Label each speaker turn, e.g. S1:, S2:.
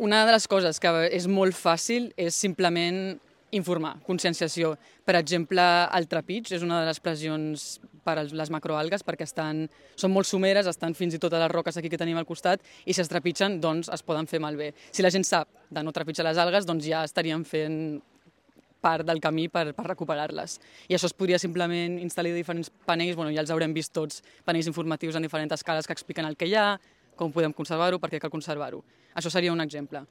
S1: Una de les coses que és molt fàcil és simplement informar, conscienciació. Per exemple, el trepig és una de les pressions per a les macroalgues perquè són molt someres, estan fins i tot a les roques aquí que tenim al costat i si es trepitgen doncs es poden fer malbé. Si la gent sap de no trepitjar les algues doncs ja estaríem fent part del camí per recuperar-les. I això es podria simplement instal·lar diferents panells, ja els haurem vist tots, panells informatius en diferents escales que expliquen el que hi ha, com podem conservar-ho, per què cal conservar-ho. Això seria un exemple.